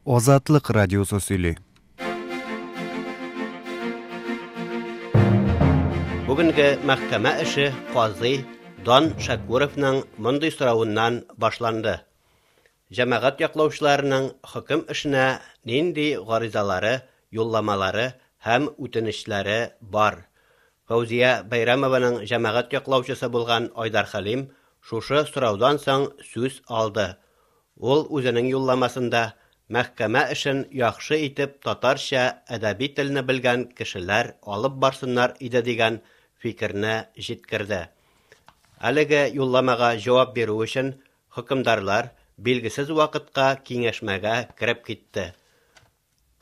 Азатлык радиосы сөйли. Бүгенге мәхкәмә эше казый Дан Шәкүровның мондый соравыннан башланды. Җәмәгать яклаучыларының хөкем эшенә нинди гаризалары, юлламалары һәм үтенечләре бар? Фәүзия Бәйрәмованың җәмәгать яклаучысы булган Айдар Хәлим шушы сораудан соң сүз алды. Ул үзенең юлламасында мәхкәмә эшен яхшы итеп татарча әдәби телне белгән кешеләр алып барсыннар иде дигән фикерне җиткерде. Әлеге юлламага җавап бирү өчен хөкемдарлар билгесез вакытка киңәшмәгә кереп китте.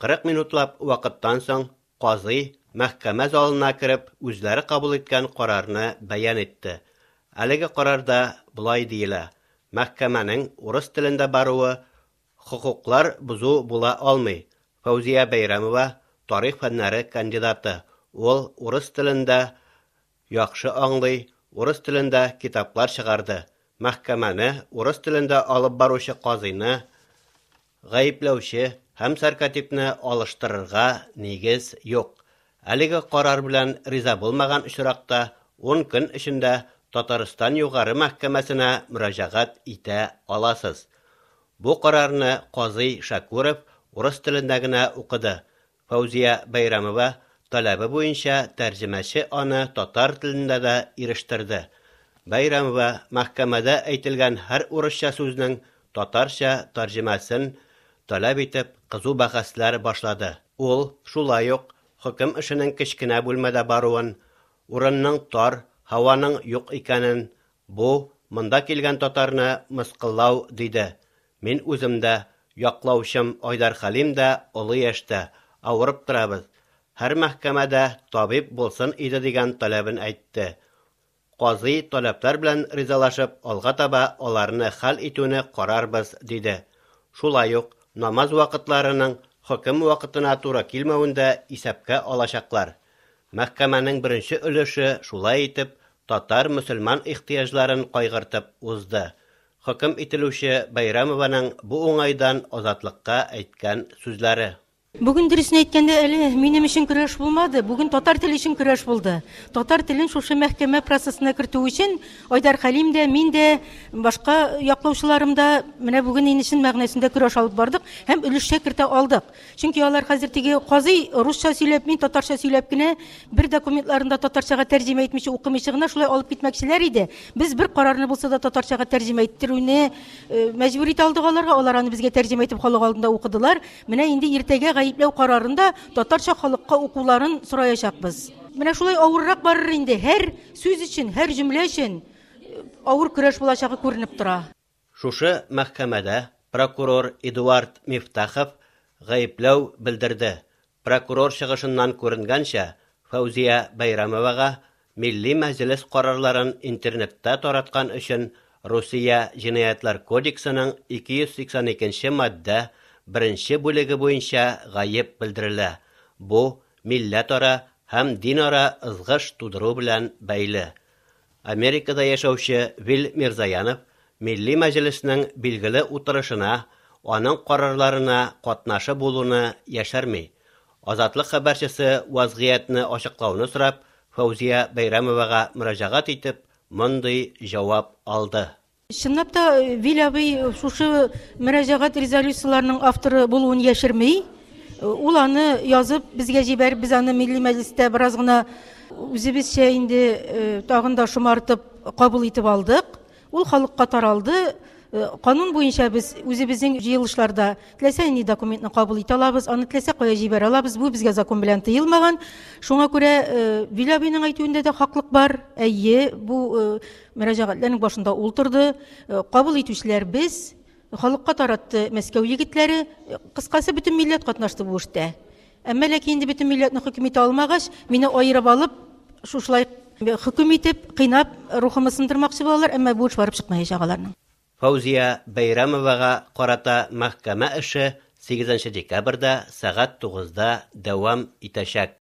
40 минутлап вакыттан соң казый мәхкәмә залына кереп үзләре кабул иткән карарны бәян итте. Әлеге карарда болай диелә: Мәхкәмәнең урыс телендә баруы хокуклар бозу була алмый. Фәүзия Бәйрәмова тарих фәннәре кандидаты. Ул урыс телендә яхшы аңлый, урыс телендә китаплар чыгарды. Мәхкәмәне урыс телендә алып баручы казыйны гаепләүче һәм сәркатипне алыштырырга нигез юк. Әлеге карар белән риза булмаган очракта 10 көн эчендә Татарстан Югары мәхкәмәсенә мөрәҗәгать итә аласыз. Бу карарны казый Шәкүров урыс телендә генә укыды. Фәүзия Бәйрәмова таләбе буенча тәрҗемәче аны татар телендә дә ирештерде. Бәйрәмова мәхкәмәдә әйтелгән һәр урысча сүзнең татарча тәрҗемәсен таләп итеп кызу бәхәсләр башлады. Ул шулай ук хөкем эшенең кечкенә бүлмәдә баруын, урынның тар, һаваның юк икәнен, бу, монда килгән татарны мыскыллау, диде. Мин үзем дә, яклаучым Айдар Хәлим дә олы яшьтә, авырып торабыз. Һәр мәхкәмәдә табиб булсын иде дигән таләбен әйтте. Казый таләпләр белән ризалашып, алга таба аларны хәл итүне карарбыз, диде. Шулай ук намаз вакытларының хөкем вакытына туры килмәвен дә исәпкә алачаклар. Мәхкәмәнең беренче өлеше шулай итеп татар-мөселман ихтыяҗларын кайгыртып узды. Хөкем ителүче Бәйрәмованың бу уңайдан Азатлыкка әйткән сүзләре. Бүген дөресен әйткәндә әле минем өчен көрәш булмады, бүген татар теле өчен көрәш булды. Татар телен шушы мәхкәмә процессына кертү өчен Айдар Хәлим дә, мин дә, башка яклаучыларым да менә бүген инде чын мәгънәсендә көрәш алып бардык һәм өлешчә кертә алдык. Чөнки алар хәзер теге казый русча сөйләп, мин татарча сөйләп кенә бер документларын да татарчага тәрҗемә итмичә, укымыйча гына шулай алып китмәкчеләр иде. Без бер карарны булса да татарчага тәрҗемә иттерүне мәҗбүр итә алдык аларга. Алар аны безгә тәрҗемә итеп халык алдында укыдылар. Менә инде иртәгә гаепләү карарын да татарча халыкка укуларын сораячакбыз. Менә шулай авыррак барыр инде. Һәр сүз өчен, һәр җөмлә өчен авыр көрәш булачагы күренеп тора. Шушы мәхкәмәдә прокурор Эдуард Мифтахов гаепләү белдерде. Прокурор чыгышыннан күренгәнчә, Фәүзия Бәйрәмовага Милли Мәҗлес карарларын интернетта тараткан өчен Русия Җинаятьләр кодексының 282 нче маддә беренче бүлеге буенча гаеп белдерелә, бу милләтара һәм динара ызгыш тудыру белән бәйле. Америкада яшәүче Вил Мирзаянов Милли Мәҗлеснең билгеле утырышына, аның карарларына катнашы булуны яшерми. Азатлык хәбәрчесе вазгыятьне ачыклауны сорап Фәүзия Бәйрәмовага мөрәҗәгать итеп, мондый җавап алды. Чынлап та, Вил абый шушы мөрәҗәгать резолюцияләренең авторы булуын яшерми. Ул аны язып безгә җибәреп, без аны Милли Мәҗлестә бераз гына үзебезчә инде тагын да шомартып кабул итеп алдык. Ул халыкка таралды. Канун буенча без үзебезнең җыелышларда теләсә нинди документны кабул итә алабыз, аны теләсә кая җибәрә алабыз. Бу безгә закон белән тыелмаган. Шуңа күрә Вил абыйның әйтүендә дә хаклык бар. Әйе, бу мөрәҗәгатьләрнең башында ул торды. Кабул итүчеләр без. Халыкка таратты Мәскәү егетләре. Кыскасы, бөтен милләт катнашты бу эштә. Әмма ләкин инде бөтен милләтне хөкем итә алмагач, мине аерып алып, шушылай хөкем итеп, кыйнап, рухымны сындырмакчы булалар, әмма бу эш барып чыкмаячак аларның. Фәүзия Бәйрәмовага карата мәхкәмә эше сигезенче декабрьдә сәгать тугызда дәвам итәчәк.